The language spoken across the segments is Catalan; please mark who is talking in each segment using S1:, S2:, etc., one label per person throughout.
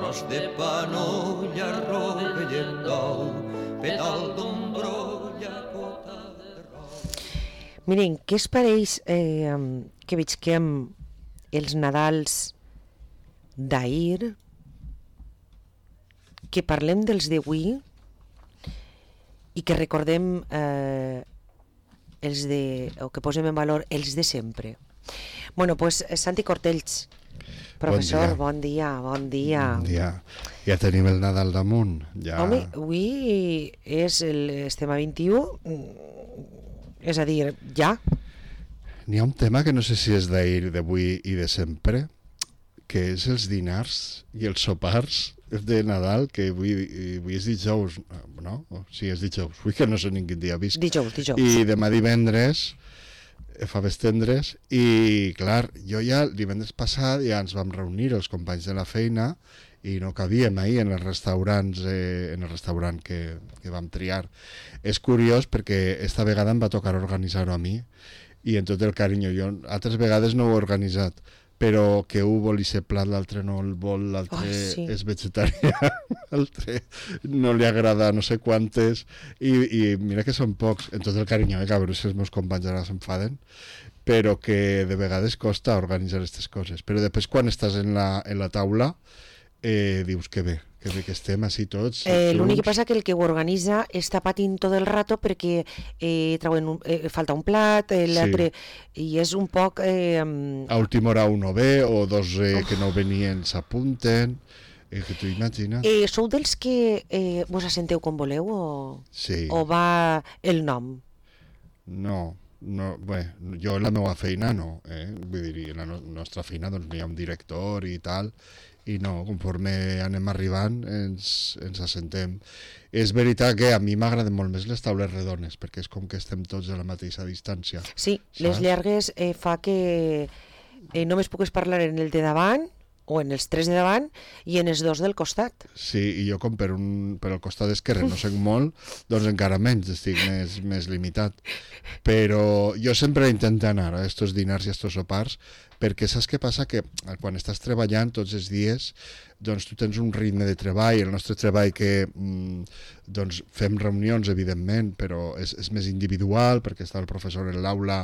S1: tros de panolla, rovellem d'ou, pedal d'ombrolla, cota de rou.
S2: Miren, què es pareix que visquem els Nadals d'ahir, que parlem dels d'avui i que recordem els de, o que posem en valor els de sempre. Bueno, pues Santi Cortells, professor, bon dia.
S3: Bon dia. Ja tenim el Nadal damunt. Ja...
S2: Home, avui estem a 21, és a dir, ja.
S3: N'hi ha un tema que no sé si és d'ahir, d'avui i de sempre, que és els dinars i els sopars de Nadal, que avui és dijous, no? Sí, és dijous, avui que no sé ni quin dia visc.
S2: Dijous.
S3: I demà divendres, faves tendres, i clar, jo ja el divendres passat ja ens vam reunir els companys de la feina i no cabíem ahir en els restaurants, en el restaurant que vam triar. És curiós perquè esta vegada em va tocar organitzar-ho a mi i en tot el carinyo. Jo altres vegades no ho he organitzat, però que un vol i ser plat, l'altre no el vol, l'altre és vegetarià, l'altre no li agrada no sé quantes, i mira que són pocs, en tot el carinyo, que a veure si els meus companys ara s'enfaden, però que de vegades costa organitzar aquestes coses. Però després quan estàs en la taula, dius que bé que estem així tots.
S2: L'únic que passa que el que ho organitza està patint tot el rato perquè falta un plat, l'altre, i és un poc...
S3: A última hora un no ve, o dos que no venien s'apunten, que t'ho imagines.
S2: Sou dels que vos assenteu com voleu o va el nom?
S3: No, bé, jo en la meva feina no, vull dir, en la nostra feina doncs hi ha un director i tal, i no, conforme anem arribant ens assentem. És veritat que a mi m'agraden molt més les taules redones, perquè és com que estem tots a la mateixa distància.
S2: Sí, saps? Les llargues fa que només pugues parlar en el de davant, o en els tres de davant, i en els dos del costat.
S3: Sí, i jo com per el costat esquerre no sé molt, doncs encara menys, estic més limitat. Però jo sempre intento anar a estos dinars i a estos sopars, perquè saps què passa? Que quan estàs treballant tots els dies, doncs tu tens un ritme de treball, el nostre treball que doncs fem reunions, evidentment, però és més individual, perquè està el professor en l'aula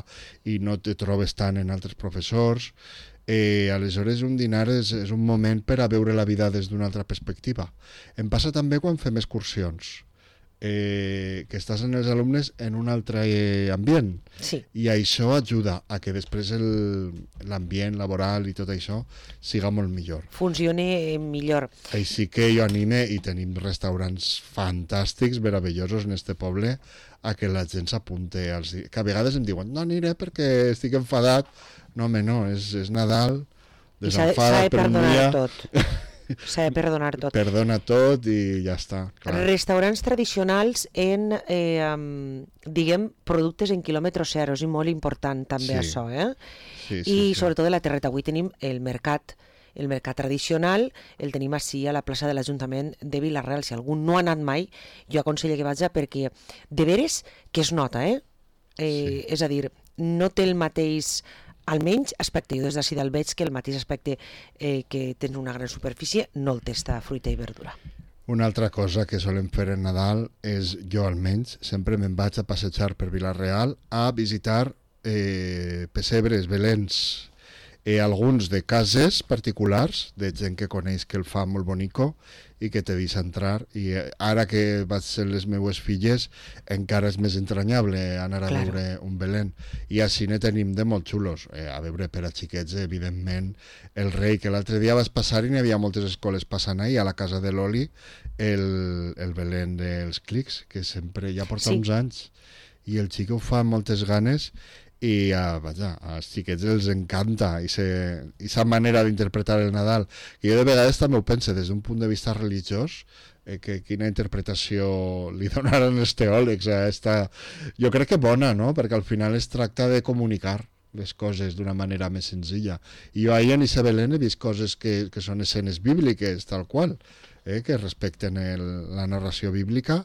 S3: i no te trobes tant en altres professors. Aleshores un dinar és un moment per a veure la vida des d'una altra perspectiva. Em passa també quan fem excursions, que estàs en els alumnes en un altre ambient, i això ajuda a que després l'ambient laboral i tot això siga molt millor,
S2: funcioni millor.
S3: Així que jo anime, i tenim restaurants fantàstics, meravellosos en este poble, a que la gent s'apunte que a vegades em diuen no aniré perquè estic enfadat. No, home, no, és Nadal, desenfada per un dia.
S2: S'ha de perdonar tot.
S3: Perdona tot i ja està. Clar.
S2: Restaurants tradicionals en, diguem, productes en quilòmetre zero, és molt important també això, I sobretot de la terreta. Avui tenim el mercat tradicional, el tenim així a la plaça de l'Ajuntament de Vila-real. Si algú no ha anat mai, jo aconsello que vaja, perquè de veres que es nota, és a dir, no té el mateix, almenys aspecte, jo des d'ací del veig que el mateix aspecte que tens una gran superfície no el té esta fruita i verdura.
S3: Una altra cosa que solem fer en Nadal és, jo almenys, sempre me'n vaig a passejar per Vila-real a visitar pessebres, belens, alguns de cases particulars, de gent que coneix que el fa molt bonico i que te deixa entrar, i ara que vaig ser les meues filles encara és més entranyable anar a veure un Belén, i així ne tenim de molt xulos, a veure per a xiquets evidentment el rei, que l'altre dia vas passar i n'hi havia moltes escoles passant ahir a la casa de l'Oli el Belén dels Clics, que sempre ja porta uns anys i el xic ho fa amb moltes ganes, i als xiquets els encanta i sa manera d'interpretar el Nadal, que jo de vegades també ho penso des d'un punt de vista religiós, que quina interpretació li donaran els teòlegs a esta... Jo crec que bona, no? Perquè al final es tracta de comunicar les coses d'una manera més senzilla, i jo ahir en Isabelén he vist coses que són escenes bíbliques tal qual, que respecten la narració bíblica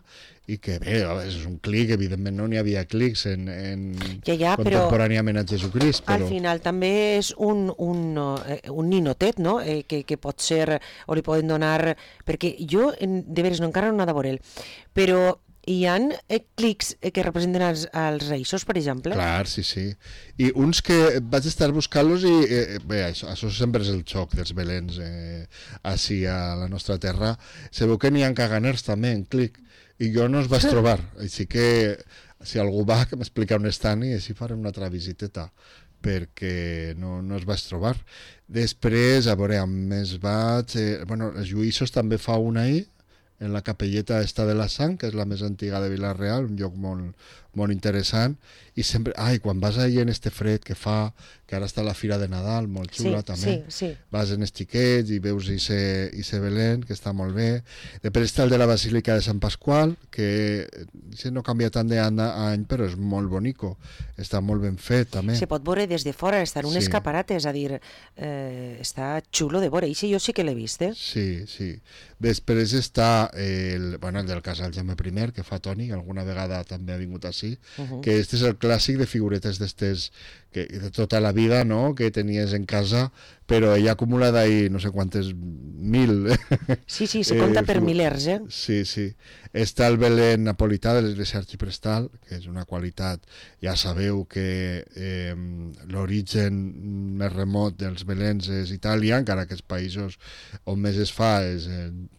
S3: i que bé, és un clic, evidentment no n'hi havia clics contemporàniament a Jesucrist, però...
S2: Al final també és un ninotet, no? Que pot ser, o li poden donar... Perquè jo, de veres, no encara no he anat a veure-l, però hi ha clics que representen els reixos, per exemple?
S3: Clar, sí. I uns que vaig estar buscant-los i bé, això sempre és el xoc dels Belens així a la nostra terra. Se veu que n'hi ha caganers també en clic i jo no els vaig trobar, així que si algú va que m'explica on estan i així farem una altra visiteta perquè no els vaig trobar. Després, a veure, més vaig... els Lluïssos també fa una ahir, en la capelleta esta de la Sang, que és la més antiga de Vila-real, un lloc molt interessant, i sempre, quan vas ahir en este fred que fa, que ara està la Fira de Nadal, molt xula també, vas en els xiquets i veus ese Belén, que està molt bé. Després està el de la Basílica de Sant Pasqual, que no canvia tant d'any a any, però és molt bonico, està molt ben fet també.
S2: Se pot veure des de fora, està en un escaparat, és a dir, està xulo de veure, i jo sí que l'he vist,
S3: Sí. Després està el del Casal Jaume I, que fa Toni, que alguna vegada també ha vingut així, que este és el clàssic de figuretes d'estes de tota la vida, no?, que tenies en casa, però ella acumula d'ahir no sé quantes mil.
S2: Sí, se compta per milers,
S3: Sí. Està el Belén napolità de l'Església Arxiprestal, que és una qualitat, ja sabeu que l'origen més remot dels Beléns és Itàlia, encara que els països on més es fa és,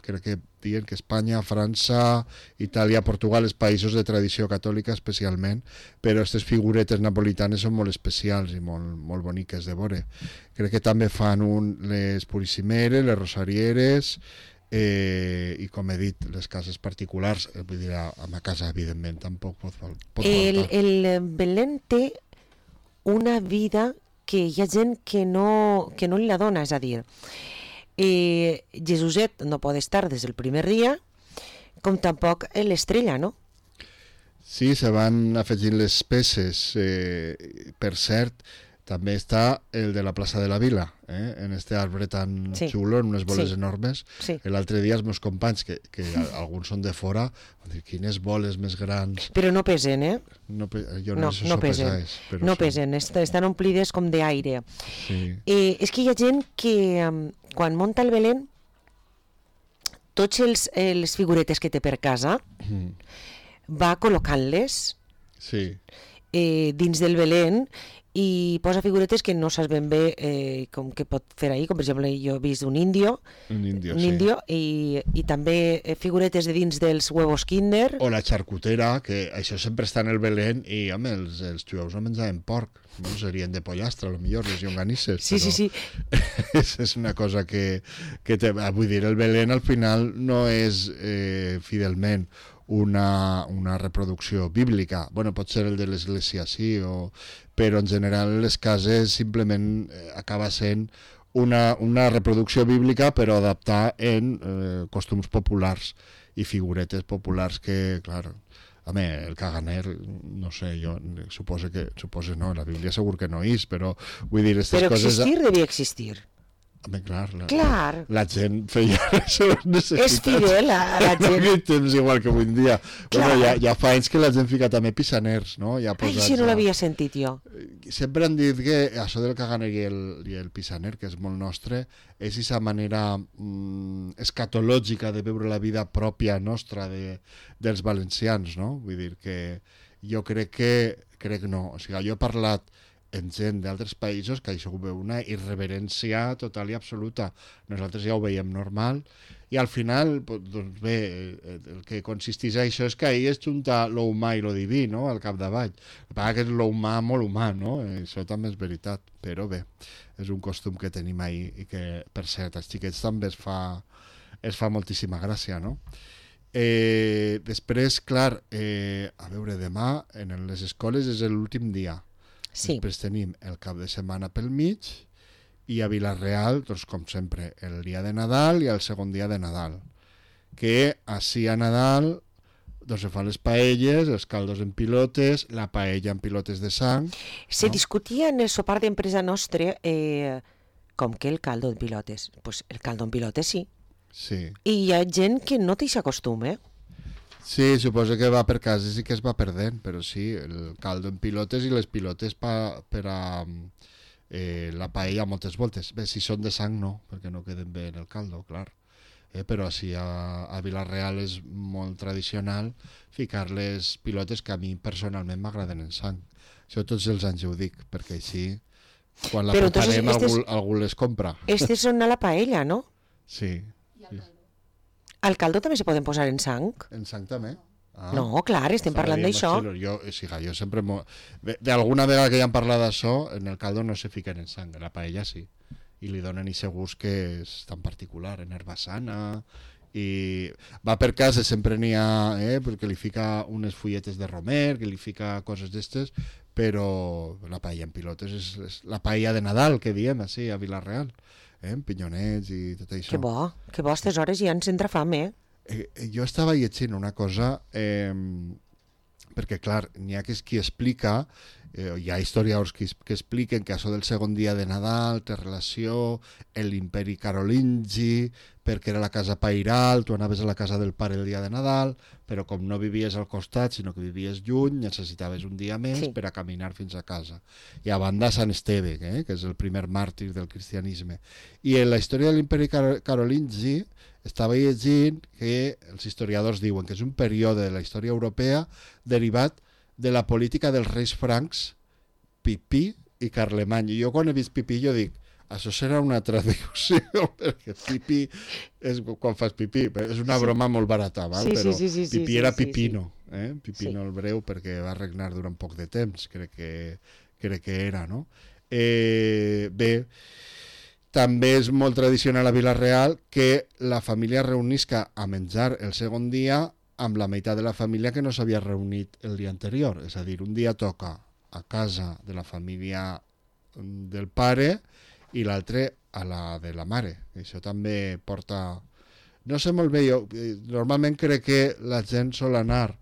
S3: crec que diuen que Espanya, França, Itàlia, Portugal, els països de tradició catòlica especialment, però aquestes figuretes napolitanes són molt especials i molt boniques de veure. Crec que també fan les purissimeres, les rosarieres, i com he dit, les cases particulars, vull dir, a ma casa evidentment tampoc pot faltar.
S2: El Belén té una vida que hi ha gent que no li la dona, és a dir, Jesuset no pot estar des del primer dia, com tampoc l'estrella, no?
S3: Sí, se van afegint les peces. Per cert, també està el de la plaça de la Vila, en este arbre tan xulo, en unes boles enormes. L'altre dia els meus companys, que alguns són de fora, van dir, quines boles més grans.
S2: Però no pesen,
S3: Jo no sé si pesen.
S2: No pesen, estan omplides com d'aire. És que hi ha gent que quan munta el Belén, tots les figuretes que té per casa va col·locant-les dins del Belén i posa figuretes que no saps ben bé com que pot fer ahir, com per exemple jo he vist un índio i també figuretes de dins dels huevos Kinder.
S3: O la xarcutera, que això sempre està en el Belén i home, els jueus no menjaven porc, no serien de pollastre, potser les llonganisses.
S2: Sí.
S3: És una cosa que vull dir, el Belén al final no és fidelment una reproducció bíblica. Pot ser el de l'església, sí, però en general les cases simplement acaba sent una reproducció bíblica però adaptada en costums populars i figuretes populars que, clar, el caganer, no sé, jo suposo no, la Bíblia segur que no és, però vull dir, aquestes coses...
S2: Però existir devia existir.
S3: Clar. La gent feia les seves necessitats.
S2: És fidel a la gent.
S3: No temps igual que avui en dia. Ja fa anys que la gent fica també pissaners, no?
S2: Si no l'havia sentit jo.
S3: Sempre han dit que això del caganer i el pissaner, que és molt nostre, és aquesta manera escatològica de veure la vida pròpia nostra dels valencians, no? Vull dir que jo crec no. O sigui, jo he parlat en gent d'altres països que això ho veu una irreverència total i absoluta. Nosaltres ja ho veiem normal i al final, doncs bé, el que consisteix això és que ahir es junta lo humà i lo diví, no?, al capdavall. El que passa que és lo humà molt humà, no? Això també és veritat, però bé, és un costum que tenim ahir i que, per cert, als xiquets també es fa moltíssima gràcia, no? Després, clar, a veure, demà en les escoles és l'últim dia. Després tenim el cap de setmana pel mig i a Vila-real, doncs com sempre, el dia de Nadal i el segon dia de Nadal, que així a Nadal doncs se fan les paelles, els caldos en pilotes, la paella en pilotes de sang.
S2: Se discutia en el sopar d'empresa nostre com que el caldo en pilotes. Pues el caldo en pilotes sí.
S3: Sí.
S2: I hi ha gent que no té aquest costum,
S3: Sí, suposo que va per cases i que es va perdent, però sí, el caldo en pilotes i les pilotes per a la paella moltes voltes. Bé, si són de sang no, perquè no queden bé en el caldo, clar. Però sí, a Vila-real és molt tradicional ficar les pilotes que a mi personalment m'agraden en sang. Això tots els anys ho dic, perquè així quan la preparem algú les compra.
S2: Estes són a la paella, no?
S3: Sí.
S2: Al caldo també se poden posar en sang?
S3: En sang també.
S2: No, clar, estem parlant d'això.
S3: Jo sempre... D'alguna vegada que ja hem parlat d'això, en el caldo no se fiquen en sang, en la paella sí. I li donen aquest gust que és tan particular, en herbassana, i va per casa, sempre n'hi ha, perquè li fica unes fulletes de romer, que li fica coses d'estes, però la paella en pilotes és la paella de Nadal, que diem així, a Vila-real, amb pinyonets i tot això.
S2: Que bo, a aquestes hores ja ens entra fam,
S3: Jo estava llegint una cosa, perquè clar, n'hi ha qui explica, hi ha historiadors que expliquen que això del segon dia de Nadal té relació amb l'imperi carolingi, perquè era la casa pairal, tu anaves a la casa del pare el dia de Nadal, però com no vivies al costat, sinó que vivies lluny, necessitaves un dia més per a caminar fins a casa. I a banda Sant Esteve, que és el primer màrtir del cristianisme. I en la història de l'imperi carolingi estava llegint que els historiadors diuen que és un període de la història europea derivat de la política dels reis francs Pipí i Carlemany. I jo quan he vist Pipí jo dic, això serà una traducció, perquè Pipí és quan fas pipí, és una broma molt barata, val? Però Pipí era Pipino, Pipino el Breu, perquè va regnar durant poc de temps, crec que era, no? Bé, també és molt tradicional a Vila-real que la família reunisca a menjar el segon dia amb la meitat de la família que no s'havia reunit el dia anterior. És a dir, un dia toca a casa de la família del pare i l'altre a la de la mare. Això també porta... No sé molt bé, jo normalment crec que la gent sol anar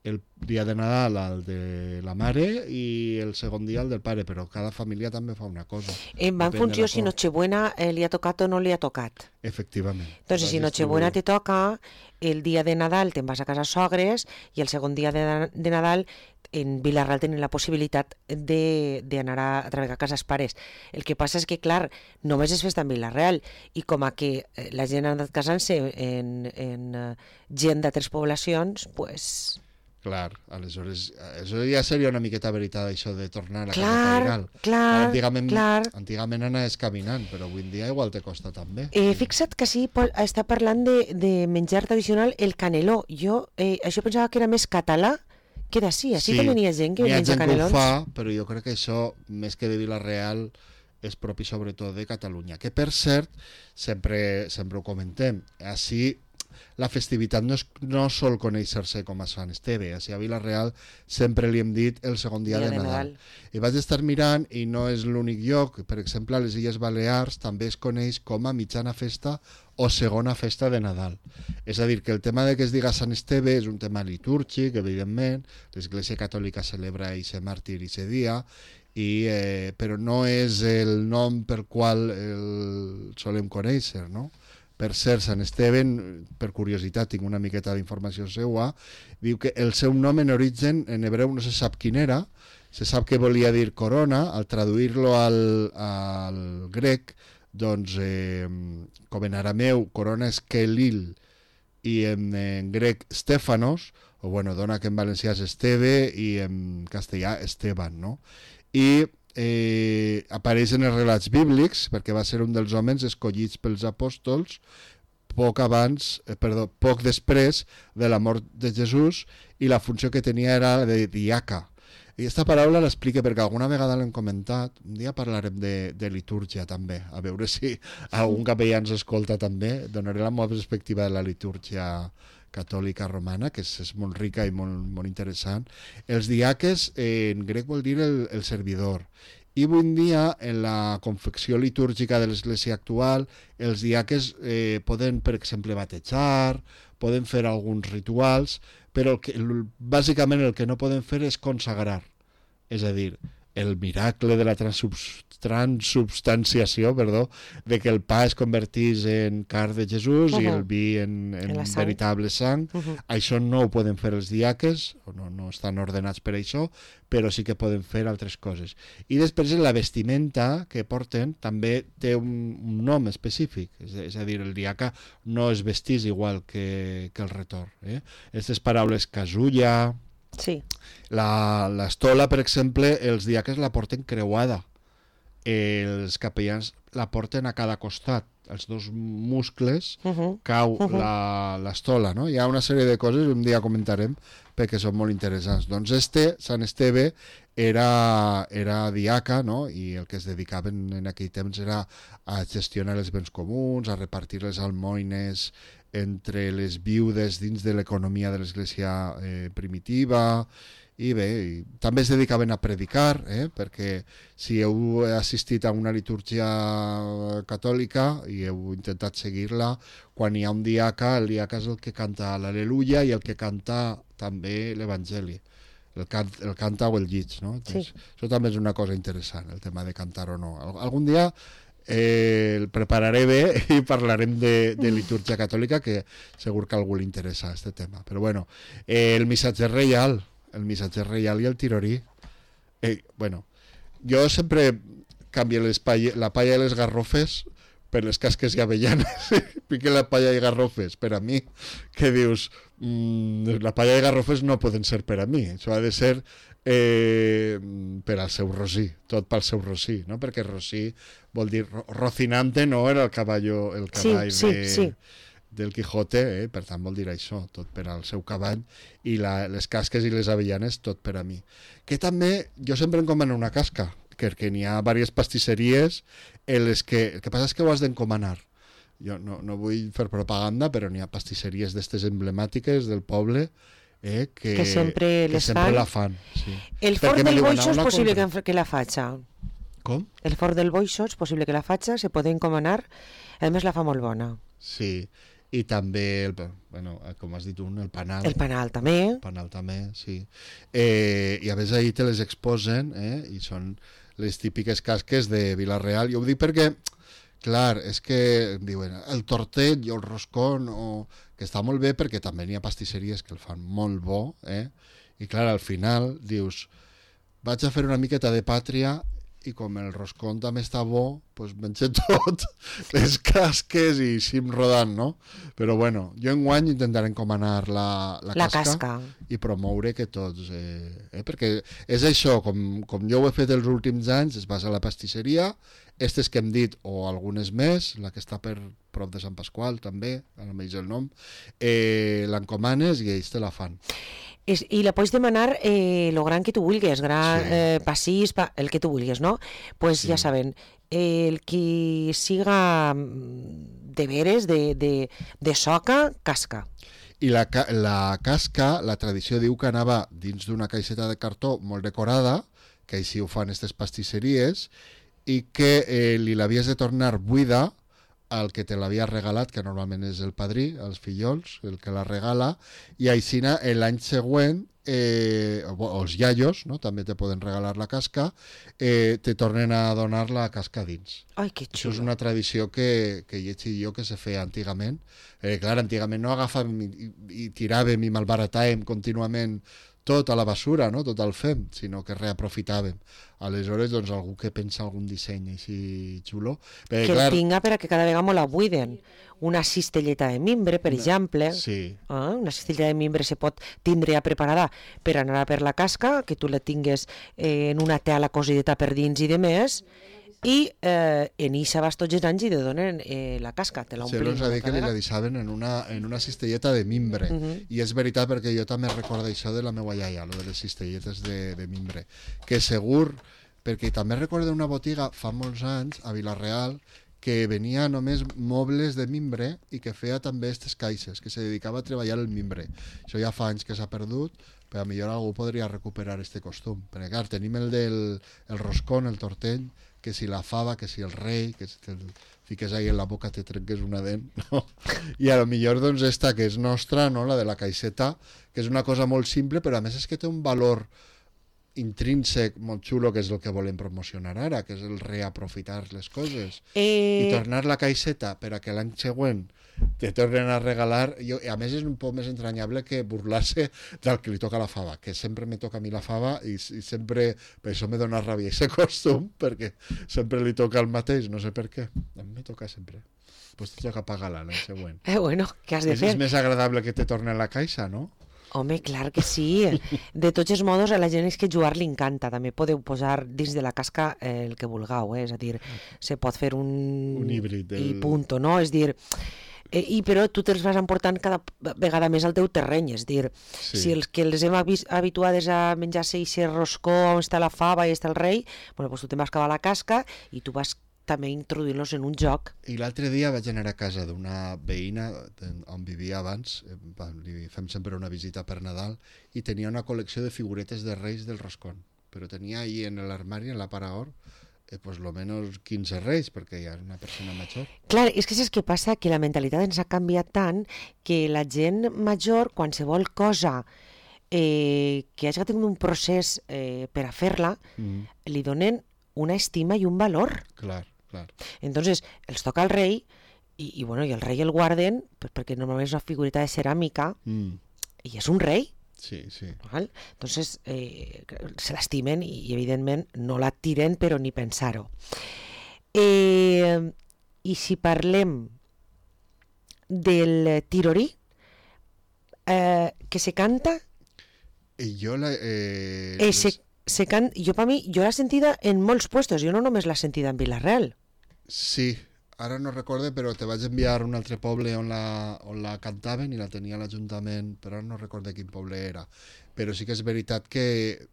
S3: el dia de Nadal al de la mare i el segon dia al del pare, però cada família també fa una cosa.
S2: Va en funció si Nochebuena li ha tocat o no li ha tocat.
S3: Efectivament.
S2: Entonces, si Nochebuena te toca, el dia de Nadal te'n vas a casa sogres i el segon dia de Nadal en Vila-real tenen la possibilitat d'anar a treballar a cases pares. El que passa és que, clar, només és festa en Vila-real i com a que la gent ha anat casant-se en gent d'altres poblacions, pues...
S3: Clar, aleshores, això ja seria una miqueta veritat, això de tornar a la casa pairal.
S2: Clar.
S3: Antigament anaves caminant, però avui en dia igual te costa també.
S2: Fixa't que sí, està parlant de menjar tradicional, el caneló. Jo això pensava que era més català que d'ací. Així també n'hi ha gent que menja canelons.
S3: Hi ha gent que ho fa, però jo crec que això, més que de Vila-real, és propi sobretot de Catalunya. Que, per cert, sempre ho comentem, així la festivitat no sol conèixer-se com a Sant Esteve. A Vila-real sempre li hem dit el segon dia de Nadal. I vaig estar mirant i no és l'únic lloc. Per exemple, a les Illes Balears també es coneix com a mitjana festa o segona festa de Nadal. És a dir, que el tema de que es diga Sant Esteve és un tema litúrgic, evidentment. L'Església Catòlica celebra aquest màrtir i aquest dia, però no és el nom per qual el solem conèixer, no? Per cert, Sant Esteve, per curiositat, tinc una miqueta d'informació seua, diu que el seu nom en origen en hebreu no se sap quin era, se sap que volia dir corona, al traduir-lo al grec, doncs, com en arameu, corona és Kelil, i en grec Stefanos, o bueno, dona que en valencià és Esteve, i en castellà Esteban, no? I apareix en els relats bíblics perquè va ser un dels homes escollits pels apòstols poc després de la mort de Jesús, i la funció que tenia era de diaca. I aquesta paraula l'explica perquè alguna vegada l'hem comentat, un dia parlarem de litúrgia també, a veure si algun capellà ens escolta també, donaré la meva perspectiva de la litúrgia catòlica romana, que és molt rica i molt interessant. Els diaques en grec vol dir el servidor, i avui en dia en la confecció litúrgica de l'església actual els diaques poden, per exemple, batejar, poden fer alguns rituals, però bàsicament el que no poden fer és consagrar, és a dir, el miracle de la transubstanciació, de que el pa es convertís en carn de Jesús i el vi en veritable sang. Això no ho poden fer els diaques, no estan ordenats per això, però sí que poden fer altres coses. I després la vestimenta que porten també té un nom específic, és a dir, el diaca no es vestís igual que el retor. Aquestes paraules casulla,
S2: sí.
S3: L'estola, per exemple, els diaques la porten creuada, els capellans la porten a cada costat, els dos muscles cau l'estola, no? Hi ha una sèrie de coses que un dia comentarem perquè són molt interessants. Doncs Sant Esteve era diaca, no? I el que es dedicaven en aquell temps era a gestionar els béns comuns, a repartir les almoines entre les viudes dins de l'economia de l'església primitiva. I bé, també es dedicaven a predicar, perquè si heu assistit a una litúrgia catòlica i heu intentat seguir-la, quan hi ha un diaca, el diaca és el que canta l'Al·leluia i el que canta també l'Evangeli, el canta o el llig, no? Entonces, això també és una cosa interessant, el tema de cantar o no. Algun dia el prepararé bé i parlarem de litúrgia catòlica, que segur que a algú li interessa aquest tema. Però bueno, el missatger reial i el tirorí. Bueno, jo sempre canvio la palla i les garrofes per les casques i avellanes. Pique la palla i garrofes per a mi, que dius, la palla i garrofes no poden ser per a mi, això ha de ser per al seu Rosí, tot pel seu Rosí, no? Perquè Rosí vol dir Rocinante, no era el cavall del Quijote, per tant vol dir això, tot per al seu cavall, i les casques i les avellanes tot per a mi. Que també jo sempre encomano una casca, perquè n'hi ha diverses pastisseries en les que el que passa és que ho has d'encomanar. Jo no vull fer propaganda, però n'hi ha pastisseries d'estes emblemàtiques del poble que sempre la fan. Sí.
S2: El Fort del Boixo és possible que la faça.
S3: Com?
S2: El Fort del Boixo és possible que la faça, se pot encomanar, a més la fa molt bona.
S3: Sí, i també, com has dit el panal.
S2: El panal també.
S3: El panal també, sí. I a més ahir te les exposen, i són les típiques casques de Vila-real. Jo ho dic perquè, clar, és que diuen el tortell o el roscón, que està molt bé perquè també n'hi ha pastisseries que el fan molt bo, i clar, al final dius, vaig a fer una miqueta de pàtria i com el roscón també està bo, doncs mengé tot, les casques i sim rodant, no? Però bueno, jo enguany intentaré encomanar la casca i promoure que tots... perquè és això, com jo ho he fet els últims anys, es basa a la pastisseria, estes que hem dit, o algunes més, la que està per prop de Sant Pasqual també, ara m'eix el nom, l'encomanes i ells te la fan.
S2: I la pots demanar lo gran que tu vulguis, passís, el que tu vulguis, no? Pues ja saben, el qui siga de veres, de soca, casca.
S3: I la casca, la tradició diu que anava dins d'una caixeta de cartó molt decorada, que així ho fan aquestes pastisseries, i que li l'havies de tornar buida el que te l'havia regalat, que normalment és el padrí, els fillols, el que la regala, i així l'any següent, o els iaios, no? També te poden regalar la casca, te tornen a donar la casca dins.
S2: Ai, que xulo.
S3: Això és una tradició que hi he jo que se feia antigament. Clar, antigament no agafàvem i tiràvem i malbaratàvem contínuament tot a la basura, no? Tot el fem, sinó que reaprofitàvem. Aleshores, doncs, algú que pensa algun disseny així xulo...
S2: Que el tinga per a que cada vegada molt la buiden. Una cistelleta de mimbre, per exemple.
S3: Sí.
S2: Una cistelleta de mimbre se pot tindre ja preparada per anar per la casca, que tu la tingues en una tela cosideta per dins i de més, i en eixa vas tots els anys i te donen la casca, te l'omplim.
S3: Sí, dir que li la deixaven en una cistelleta de mimbre, i és veritat perquè jo també recordo això de la meva iaia, lo de les cistelletes de mimbre, que segur, perquè també recordo una botiga fa molts anys a Vila-real que venia només mobles de mimbre i que feia també aquestes caixes, que se dedicava a treballar el mimbre. Això ja fa anys que s'ha perdut, però millor algú podria recuperar este costum, perquè clar, tenim el roscón, el tortell, que si la fava, que si el rei, que si te'l fiques ahí en la boca te trenques una dent, no? I a lo millor doncs esta que és nostra, no? La de la caixeta, que és una cosa molt simple, però a més és que té un valor intrínsec molt xulo, que és el que volem promocionar ara, que és el reaprofitar les coses i tornar la caixeta per a que l'any següent te tornen a regalar. A més, és un poc més entranyable que burlar-se del que li toca la fava, que sempre me toca a mi la fava i sempre, per això me dona ràbia aquest costum, perquè sempre li toca el mateix, no sé per què. A mi me toca sempre. Pues te toca pagar-la l'any següent.
S2: Bueno, què has de fer?
S3: És més agradable que te torne a la caixa, no?
S2: Home, clar que sí. De tots els modos, a la gent és que jugar li encanta. També podeu posar dins de la casca el que vulgueu, és a dir, se pot fer un
S3: híbrid.
S2: I punto, no? És dir, però tu te'ls vas emportant cada vegada més al teu terreny, és dir, si els que les hem habituades a menjar-se aquest roscó on està la fava i està el rei, bueno, doncs tu te'n vas acabar la casca i tu vas també introduint-los en un joc.
S3: I l'altre dia vaig anar a casa d'una veïna on vivia abans, li fem sempre una visita per Nadal, i tenia una col·lecció de figuretes de reis del roscón, però tenia ahí en l'armari, en la paraor, pues lo menos 15 reis, perquè ja és una persona major.
S2: Clar, és que saps què passa? Que la mentalitat ens ha canviat tant que la gent major, qualsevol cosa que hagi tingut un procés per a fer-la, li donen una estima i un valor.
S3: Clar.
S2: Entonces, els toca el rei i el rei el guarden perquè normalment és una figurita de ceràmica i és un rei.
S3: Sí.
S2: ¿Vale? Entonces, se l'estimen i evidentment no la tiren, però ni pensar-ho. I si parlem del tirorí, que se canta...
S3: Jo
S2: jo l'he sentida en molts puestos, jo no només l'he sentida en Vila-real.
S3: Sí, ara no recorde, però te vaig enviar a un altre poble on la cantaven i la tenia a l'Ajuntament, però no recorde quin poble era. Però sí que és veritat que,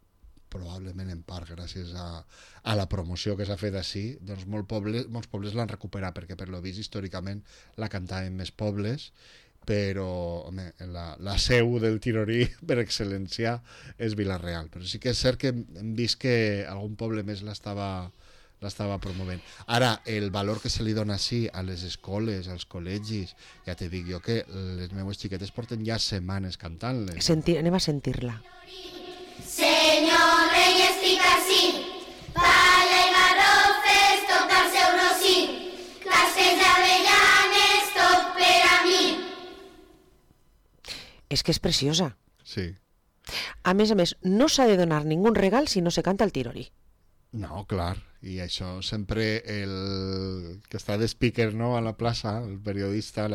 S3: probablement en part gràcies a la promoció que s'ha fet així, doncs molts pobles l'han recuperat, perquè per lo vist històricament la cantaven més pobles, però home, la seu del tirorí per excel·lència és Vila-real, però sí que és cert que hem vist que algun poble més l'estava promovent. Ara, el valor que se li dona així a les escoles, als col·legis, ja te dic jo que les meues xiquetes porten ja setmanes cantant-les.
S2: Anem a sentir-la.
S4: Senyor rei estic ací, palla i garrofes, tot al seu rossí, castells d'avellanes, tot per a mi.
S2: És que és preciosa.
S3: Sí.
S2: A més, no s'ha de donar ningú regal si no se canta el tirorí.
S3: No, clar, i això sempre el que està de speaker, no, a la plaça, la periodista,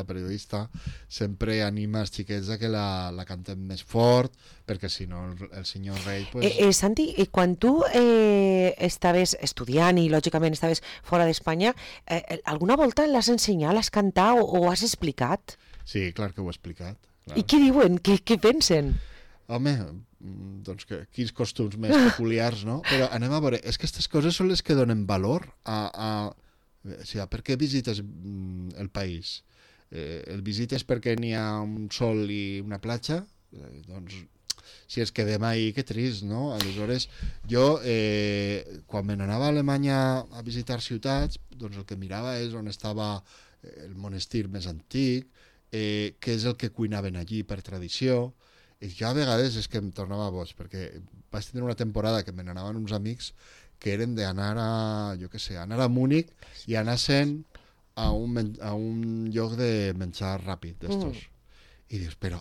S3: sempre anima els xiquets a que la cantem més fort, perquè si no el senyor rei... Pues...
S2: Santi, quan tu estaves estudiant i lògicament estaves fora d'Espanya, alguna volta l'has ensenyat, l'has cantat o has explicat?
S3: Sí, clar que ho he explicat. Clar.
S2: I què diuen? Què pensen?
S3: Home, doncs quins costums més peculiars, no? Però anem a veure, és que aquestes coses són les que donen valor a per què visites el país? El visites perquè n'hi ha un sol i una platja? Doncs si ens quedem ahí, que trist, no? Aleshores, jo, quan me n'anava a Alemanya a visitar ciutats, doncs el que mirava és on estava el monestir més antic, què és el que cuinaven allí per tradició, i jo a vegades és que em tornava boig, perquè vaig tenir una temporada que me n'anaven uns amics que eren d'anar anar a Múnich i anar-se'n a un lloc de menjar ràpid d'estos. I dius, però,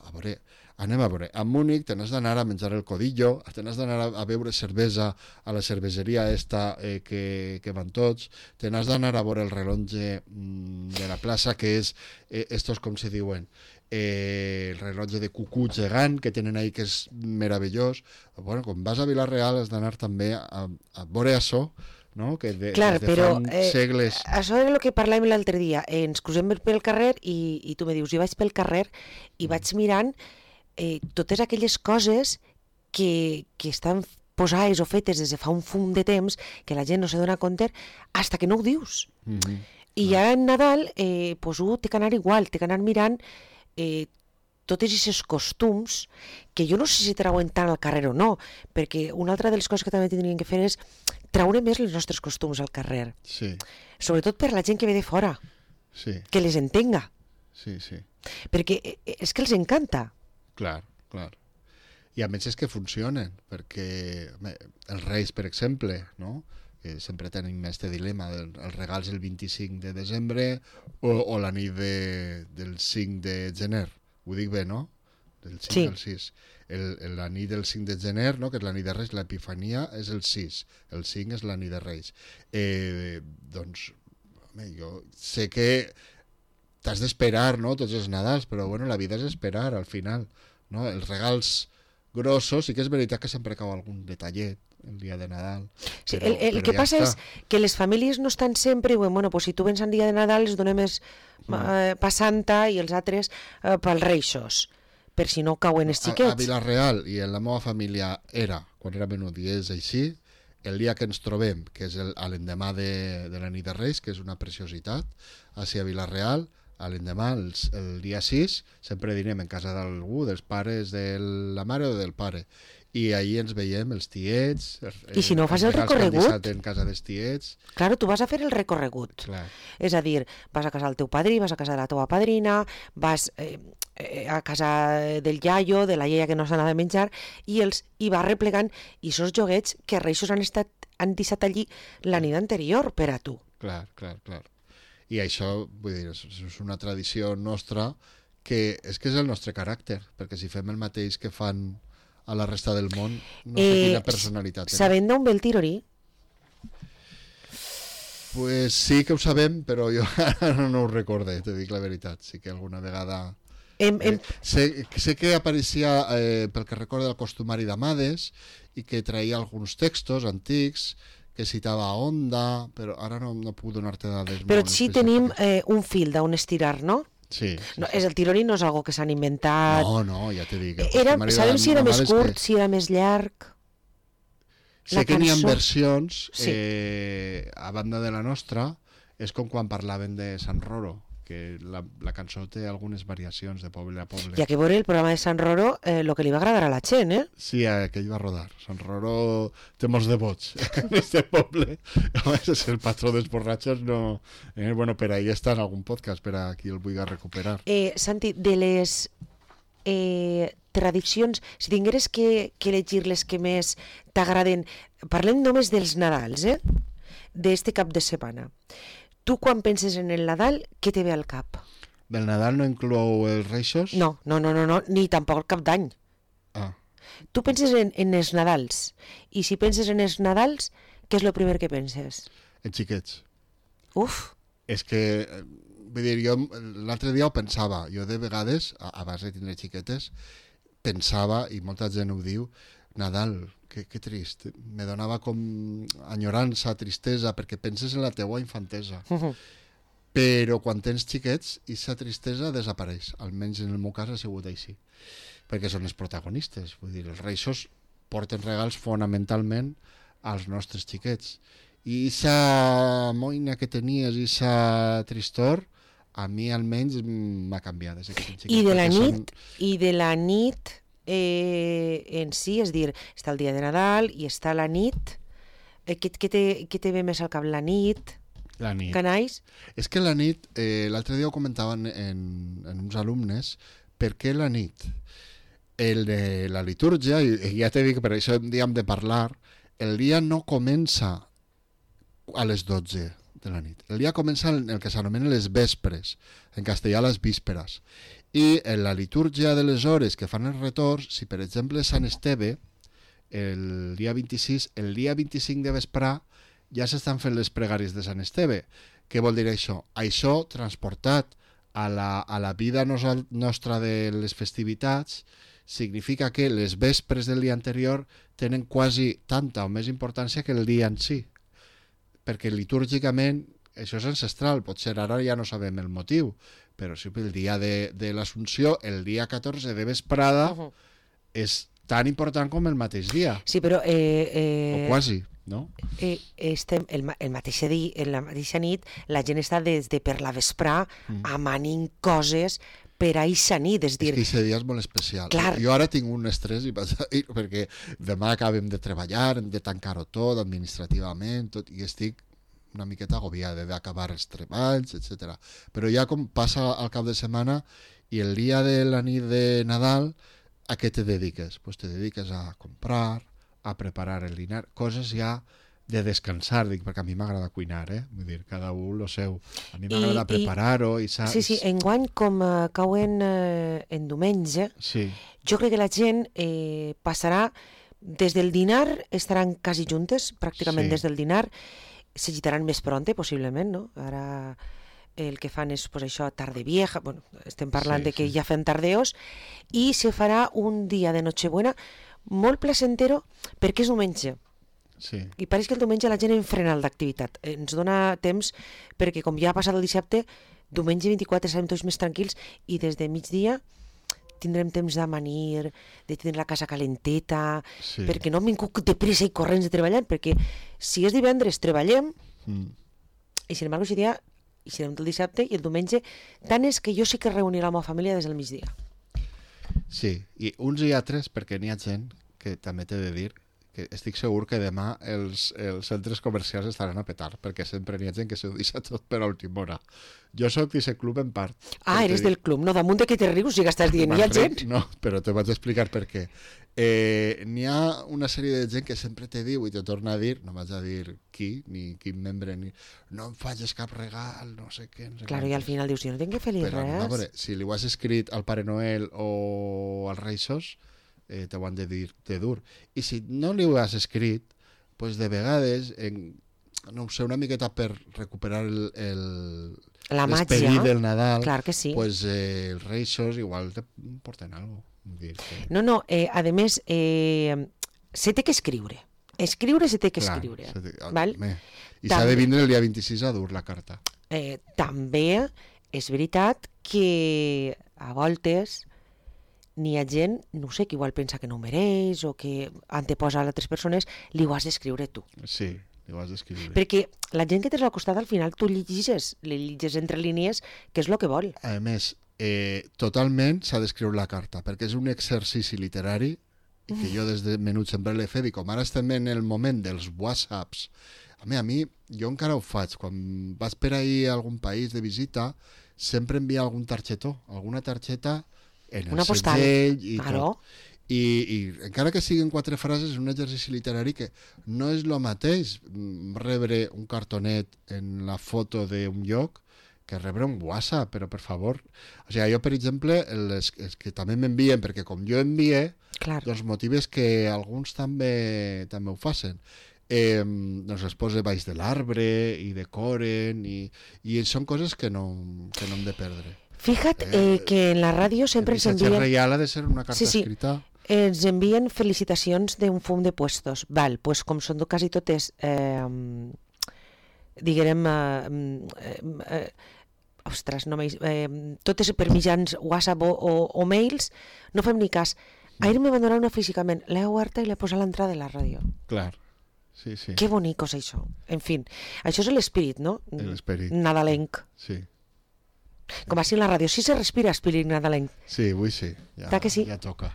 S3: anem a veure, a Múnich te n'has d'anar a menjar el codillo, te n'has d'anar a beure cervesa a la cerveseria esta que van tots, te n'has d'anar a veure el rellotge de la plaça, que és, estos com se diuen, el rellotge de cucú gegant que tenen ahí, que és meravellós. Bueno, quan vas a Vila-real has d'anar també a veure això, no? Que
S2: clar, però
S3: segles...
S2: això era el que parlàvem l'altre dia. Ens cruzem pel carrer i tu me dius, jo vaig pel carrer i vaig mirant totes aquelles coses que estan posades o fetes des de fa un fum de temps que la gent no se dona compte hasta que no ho dius. I ja en Nadal pues, té que anar igual, té que anar mirant tots aquests costums que jo no sé si trauen tant al carrer o no, perquè una altra de les coses que també tindrien que fer és traure més els nostres costums al carrer.
S3: Sí.
S2: Sobretot per la gent que ve de fora.
S3: Sí.
S2: Que les entenga.
S3: Sí.
S2: Perquè és que els encanta.
S3: Clar. I a més és que funcionen, perquè els Reis, per exemple, no? Que sempre tenim aquest dilema, els regals el 25 de desembre o la nit del 5 de gener. Ho dic bé, no? Del 5 al 6. La nit del 5 de gener, no? Que és la nit de Reis, l'Epifania és el 6. El 5 és la nit de Reis. Doncs, jo sé que t'has d'esperar, no?, tots els Nadals, però bueno, la vida és esperar, al final, no? Els regals grossos, sí que és veritat que sempre cau algun detallet el dia de Nadal.
S2: Sí, el que passa és que les famílies no estan sempre, bueno, pues si tu vens el dia de Nadal els donem pa Santa i els altres pels Reixos, per si no cauen els xiquets.
S3: A Vila-real i en la meva família quan era menut i és així, el dia que ens trobem, que és l'endemà de la nit de Reis, que és una preciositat, així a Vila-real, a l'endemà, el dia 6, sempre dinem en casa d'algú, dels pares de la mare o del pare. I ahir ens veiem els tiets...
S2: I si no fas el recorregut...
S3: en casa dels tiets...
S2: Claro, tu vas a fer el recorregut.
S3: Clar.
S2: És a dir, vas a casa del teu padrí, vas a casa de la teva padrina, vas a casa del iaio, de la iaia que no s'ha anat a menjar, i vas replegant, i esos joguets que Reixos han deixat allí la nit anterior per a tu.
S3: Clar. I això, vull dir, és una tradició nostra que és el nostre caràcter, perquè si fem el mateix que fan a la resta del món, no sé quina personalitat.
S2: Sabem d'on ve el tirorí?
S3: Pues sí que ho sabem, però jo no ho recorde, te dic la veritat. Sí que alguna vegada... sé que apareixia, pel que recorda, el costumari d'Amades i que traïa alguns textos antics que citava Onda, però ara no puc donar-te dades.
S2: Però sí tenim un fil d'on estirar, no?
S3: Sí.
S2: No, el tirorí no és algo que s'han inventat.
S3: No, ja te dic.
S2: Sabem si era més curt, si era més llarg.
S3: Sé que n'hi ha versions, a banda de la nostra, és com quan parlaven de Sant Roro, que la cançó té algunes variacions de poble a poble.
S2: I a que veure el programa de Sant Roro, el que li va agradar a la gent, eh?
S3: Sí, aquell va rodar. Sant Roro té molts devots en aquest poble. A més, és el patró dels borratxos, no... Bueno, per ahí està en algun podcast, per a qui el vulgui recuperar.
S2: Santi, de les tradicions, si tingueres que elegir les que més t'agraden, parlem només dels Nadals, d'este cap de setmana. Tu, quan penses en el Nadal, què te ve al cap?
S3: Del Nadal no inclou els Reixos?
S2: No, ni tampoc el cap d'any.
S3: Ah.
S2: Tu penses en els Nadals, i si penses en els Nadals, què és el primer que penses?
S3: En xiquets.
S2: Uf!
S3: És que, vull dir, jo l'altre dia ho pensava, jo de vegades, abans de tindre xiquetes, pensava, i molta gent ho diu, Nadal, que trist, me donava com enyorança, tristesa, perquè penses en la teua infantesa. Però quan tens xiquets, aquesta tristesa desapareix, almenys en el meu cas ha sigut així, perquè són els protagonistes, vull dir, els Reixos porten regals fonamentalment als nostres xiquets, i aquesta moïna que tenies, aquesta tristor, a mi almenys m'ha canviat.
S2: I de la nit en si, és dir, està el dia de Nadal i està la nit. Què te ve més al cap? La nit?
S3: La nit.
S2: Canais?
S3: És que la nit, l'altre dia ho comentaven en uns alumnes, per què la nit? La litúrgia, i ja t'he dit que per això un dia hem de parlar, el dia no comença a les 12 de la nit. El dia comença en el que s'anomenen les vespres, en castellà les vísperes. I en la litúrgia de les hores que fan els retorns, si per exemple Sant Esteve, el dia 26, el dia 25 de vesprà ja s'estan fent les pregàries de Sant Esteve. Què vol dir això? Això transportat a la vida nostra de les festivitats significa que les vespres del dia anterior tenen quasi tanta o més importància que el dia en si. Perquè litúrgicament això és ancestral, potser ara ja no sabem el motiu, però sí, el dia de l'Assumpció, el dia 14 de vesprada, és tan important com el mateix dia.
S2: Sí, però...
S3: o quasi, no?
S2: Estem el mateix dia, en la mateixa nit, la gent està des de per la vesprà amanint coses per a eixa nit, és dir...
S3: És que eixa dia és molt especial.
S2: Clar.
S3: Jo ara tinc un estrès perquè demà acabem de treballar, hem de tancar-ho tot administrativament, tot, i estic una miqueta agobiada d'acabar els treballs, etc. Però ja com passa al cap de setmana i el dia de la nit de Nadal, a què te dediques? Pues te dediques a comprar, a preparar el dinar, coses ja de descansar, dic, perquè a mi m'agrada cuinar, vull dir, cada un lo seu. A mi m'agrada preparar-ho i saps...
S2: Sí, enguany, com cauen en diumenge, jo crec que la gent passarà des del dinar, estaran quasi juntes, pràcticament des del dinar, s'agitaran més pronte, possiblement, no? Ara el que fan és, pues això, tarde vieja, bueno, estem parlant de que ja fem tardeos, i se farà un dia de Nochebuena molt placentero perquè és diumenge.
S3: Sí.
S2: I pareix que el diumenge la gent enfrena d'activitat. Ens dona temps perquè com ja ha passat el dissabte, diumenge 24 estarem tots més tranquils i des de migdia tindrem temps d'amanir, de tenir la casa calenteta, perquè no hem vingut de pressa i corrents de treballar, perquè si és divendres treballem i sin embargo aquest dia i serem el dissabte i el diumenge, tant és que jo sí que reuniré la meva família des del migdia.
S3: Sí, i uns i altres, perquè n'hi ha gent que també t'he de dir que estic segur que demà els centres comercials estaran a petar, perquè sempre n'hi ha gent que s'ho deixa tot per a última hora. Jo soc d'aquest club en part.
S2: Ah, eres del club, no? Damunt de que te rius si estàs dient, hi ha gent?
S3: No, però te vaig explicar per què. N'hi ha una sèrie de gent que sempre te diu i te torna a dir, no vaig a dir qui, ni quin membre, ni no em facis cap regal, no sé què.
S2: Claro, i al final dius, jo no tinc que fer-li res.
S3: Però, a veure, si li ho has escrit al Pare Noel o als Reixos, te ho han de dir de dur. I si no li ho has escrit, pues de vegades, no ho sé, una miqueta per recuperar l'esperit del Nadal,
S2: clar que sí.
S3: Pues els Reixos igual te porten alguna cosa.
S2: No, a més, se té que escriure. Escriure se té que escriure. Val?
S3: I s'ha de vindre el dia 26 a dur la carta.
S2: També és veritat que a voltes n'hi ha gent, no sé, que igual pensa que no ho mereix o que anteposa a altres persones, li ho has d'escriure tu.
S3: Sí, li ho has d'escriure.
S2: Perquè la gent que tens al costat, al final, tu li llegis entre línies què és el que vol.
S3: A més, totalment s'ha d'escriure la carta, perquè és un exercici literari i que jo des de menut sempre l'he fet, i com ara estem en el moment dels whatsapps, a mi, jo encara ho faig, quan vas per ahir a algun país de visita, sempre envia algun targetó, alguna targeta en el segell i tot. I encara que siguin 4 frases, és un exercici literari que no és el mateix rebre un cartonet en la foto d'un lloc que rebre un WhatsApp, però per favor. O sigui, jo, per exemple, els que també m'envien, perquè com jo envie, doncs motives que alguns també ho facin. Doncs es posa baix de l'arbre i decoren i són coses que no hem de perdre.
S2: Fíjate que en la ràdio sempre ens envien...
S3: El missatge reial ha de ser una carta escrita.
S2: Ens envien felicitacions d'un fum de puestos. Val, pues com són quasi totes, diguem, ostres, no totes per mitjans WhatsApp o mails, no fem ni cas. Ahir me van donar una físicament, l'he oberta i l'he posat a l'entrada de la ràdio.
S3: Clar, sí.
S2: Que bonic és això. En fi, això és l'esperit, no?
S3: L'esperit.
S2: Nadalenc.
S3: Sí.
S2: Com així en la ràdio, sí se respira espírit nadalenc.
S3: Sí, avui sí,
S2: ja
S3: toca.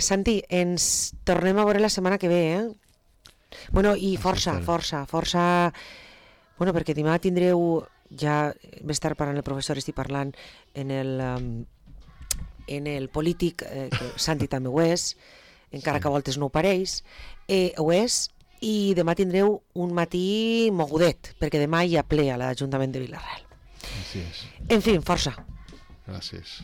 S2: Santi, ens tornem a veure la setmana que ve, Bueno, i força. Bueno, perquè demà tindreu, ja més tard parlant el professor, estic parlant en el polític, que Santi també ho és, encara que a voltes no ho pareix, ho és, i demà tindreu un matí mogudet, perquè demà hi ha ple a l'Ajuntament de Vila-real.
S3: Així és.
S2: En fi, força.
S3: Gràcies.